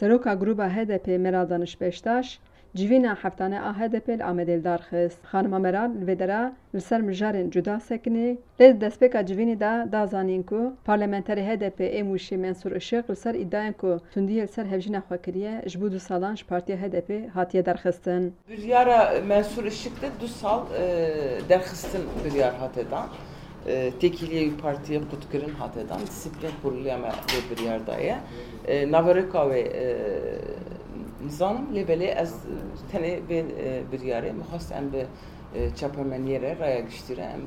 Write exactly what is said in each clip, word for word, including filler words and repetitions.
Seroka Grûba H D P Meral Daniş Beştaş, civîna heftane a H D P li Amedê li dar xist. Xanima Meral li vê dera li ser mijarên cuda sekinê, lê di destpêka civînê de da zanîn ku parlamenterê H D P ê Mûşê Mensûr Işık li ser îdiayên ku tundiyê li ser hevjîna xwe kiriye, ji bo du salan ji partiya H D P hatiye derxistin. Biryara Mensûr Işık de du sal, e, derxistin biryar hate dan. E, têkiliyê wî partiyê qutkirin hate dan. Disiplîn Kurulîya me vê biryar daye. E, naverêka wê, e, nizanim, lê belê ez tenê vê, e, biryarê min xwest em bi, e, çapemeniyê re, raya giştî re em,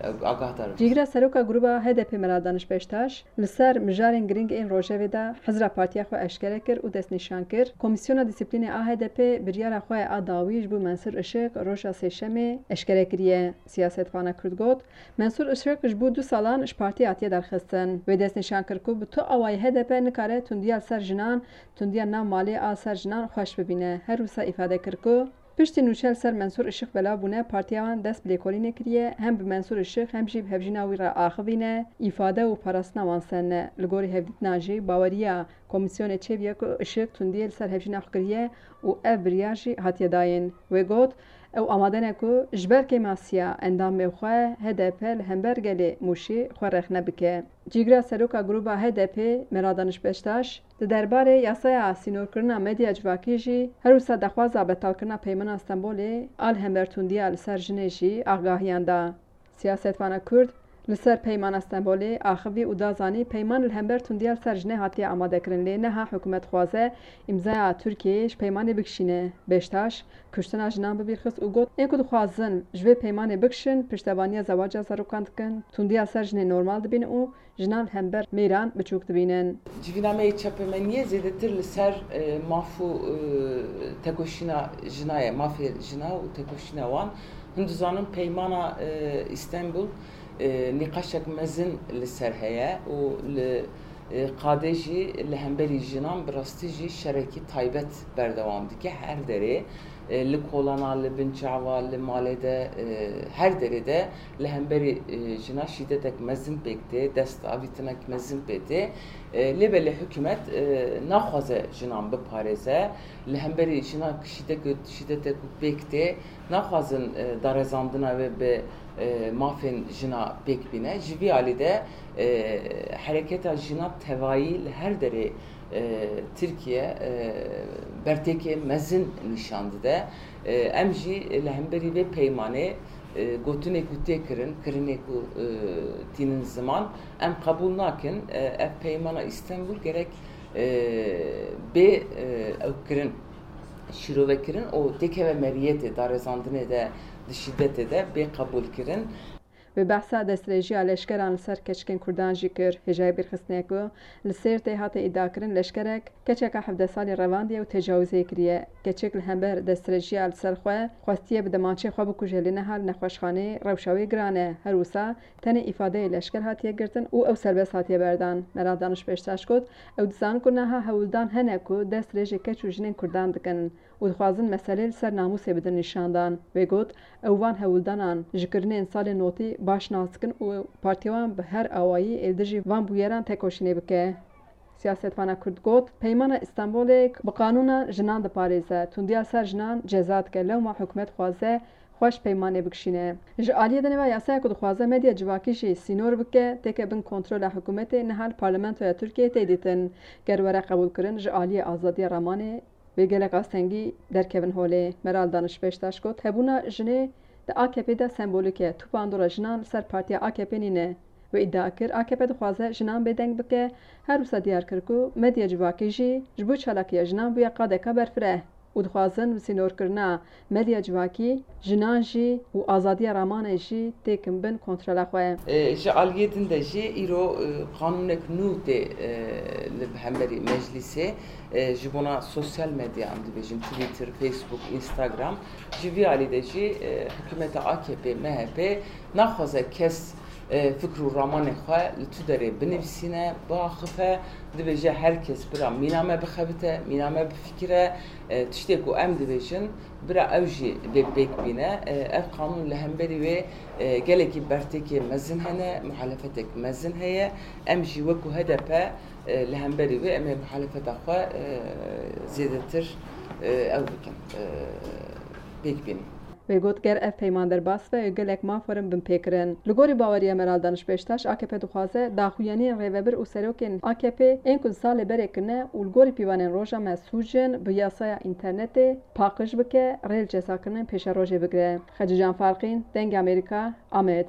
e, agahdar bin. Cîgira Seroka Grûba H D P Meral Daniş Beştaş li ser mijarên girîng ên rojevê de hizra partiya xwe eşkere kir û destnîşan kir, Komîsyona Disiplînê a H D P biryara xwe a dawî ji bo Mensûr Işık roja Sêşemê eşkere kiriye. Siyasetvana Kurd got, Mensûr Işık ji bo du salan ji partiyê hatiye derxistin. Wê destnîşan kir ku bi tu awayî H D P nikare tundiya li ser jinan, tundiya nav malê a ser jinan xweş bibîne. Her wisa îfade kir ku piştî nûçe li ser Mensûr Işık belav bûne, partiya wan dest bi lêkolînê kiriye, hem bi Mensûr Işık hem jî bi hevjîna wî re axivîne, îfade û parastina wan sen e. Li gorî hevdîtina jî baweriya komîsyonê çêbûye ku Işık tundiyê li ser hevjîna xwe kiriye û ev biryar jî hatiye dayîn. Wê got, ew amade ne ku ji ber kêmasiya endamê xwe H D P li hember gelê Mûşî xwe rexne bike. Cîgira Seroka Grûba H D P Meral Daniş Beştaş di derbarê yasaya sînorkirina medya civakî jî, her wisa daxwaza betalkirina Peymana Stenbolê a li hember tundiya li ser jinê jî agahiyan da. Siyasetvana Kurd li ser Peymana Stenbolê axivî û da zanî, peyman li hember tundiya li ser jinê hatiye amadekirin, lê niha hikûmet dixwaze îmzaya Tirkiyeyê ji peymanê bikişîne. Beştaş kuştina jinan bi bîr xist û got, ên ku dixwazin ji vê peymanê bikişin, piştevaniya zewaca zarokan dikin, tundiya ser jinê normal dibînin û jinan li hember mêran biçûk dibînin. Civîna me yê çapemeniyê zêdetir li ser, e, maf û, e, tekoşîna jina ye, mafê jina û tekoşîna wan. Hûn dizanin peymana, e, Îstenbul, e, nîqaşek mezin li ser heye û li, e, qadê jî li hemberî jinan bi rastî jî şerekî taybet berdewam dike her derê. E, li kolana, li bin çava, li malê de, e, her derê de li hemberî, e, jina şîdetek mezin pêk tê, dest avîtinek mezin pê tê. E, lê belê hikûmet, e, naxwaze jinan biparêze. Li hemberî jina şîdek-, şîdetek ku pêk tê, naxwazin, e, darezandina wê bi, e, mafên jina pêk bîne. Ji vî alî de, e, hereketa jina tevayî li her derê e, Tirkiye, e, bertêkê mezin nîşan dide. E, em jî li hemberî vê peymanê, e, gotinê ku tê kirin, kirinê ku, e, tînin ziman, em qebûl nakin. E, ev peymana Îstenbul gerek, e, bê, e, ew kirin, şîrovekirin û têkeve meriyetê, darezandinê de, di şîdetê de bê qebûlkirin. Wê behsa destdirêjiya leşkeran li ser keçikên Kurdan jî kir. Hêjayî bîrxistinê ku li Sêrtê hate îdiakirin, leşkerek keçeka hevdeh salî revandiye û tecawizê kiriye. Keçik li hember destdirêjiya li ser xwe xwestiye bi demaçê xwe bikuje, lê niha li nexweşxaneyê rewşa wê giran e. Her wisa tenê îfadeyê leşker hatiye girtin û ew serbest hatiye berdan. Meral Daniş Beştaş got, ew dizanin ku niha hewldan hene ku dest dirêjê keç û jinên Kurdan dikin û dixwazin meselê li ser namûsê bidin nîşandan. Wê got, ew van hewldanan ji kirinên salên notî baş nas dikin û partiya wan bi her awayî ê li dijî van bûyeran tekoşînê bike. Siyasetvana Kurd got, Peymana Îstanbulê bi qanûna jinan diparêze, tundiya ser jinan ceza dike, lewma hikûmet dixwaze xweş peymanê bikişîne. Ji aliyê dinê ve yasaya ku dixwaze medya civakî jî sînor bike, têke bin kontrola hikûmetê, niha li Parlamentoya Tirkiyeyê tê dîtin. Ger were qebûlkirin, ji aliyê azadiya ramanê, wê gelek astengî derkevin holê. Meral Daniş Beştaş got, hebûna jinê di A K P de sembolîk e. Tu bandora jinan li ser partiya A K P nîne. Wê îdia kir, A K P dixwaze jinan bêdeng bike. Her wisa diyar kir ku medya civakî jî ji bo çalakiya jinan bûye qadeka berfireh û dixwazin bi sînorkirina medya civakî jinan jî û azadiya ramanê jî têkin bin kontrola xwe. E, ji aliyê din de jî îro, e, qanûnek nû tê, e, li hemberî meclîsê. E, ji bona sosyal medya, em dibêjin Twitter, Facebook, Instagram, ji vî alî de jî, e, hikûmeta A K P, M H P naxwaze kes, e, fikr û ramanê xwe li tu derê binivîsîne, biaxife, dibêje her kes bira mîna me bixebite, mîna me bifikire, e, tiştê ku em dibêjin, bira ew jî bê pêk bîne. E, ev qanûn li hemberî wê, e, gelekî bertêkê mezin hene, muhalefetek mezin heye. Em jî wekû H D P E, li hemberî wê em ê muhalefeta xwe, e, zêdetir, e, ew bikin, e, pêk bînin. Wê got, ger ev peyman derbas be, gelek maf werin binpêkirin. Li gorî baweriya Meral Daniş Beştaş, A K P dixwaze daxuyaniyên rêvebir û serokên A K P ên ku di salê berê kirine û li gorî pîvanên roja me sûc in, bi yasaya înternetê paqij bike, rê li cezakirinên pêşerojê bigire. Xecîcan Farqîn, Dengê Amerîka, Amed.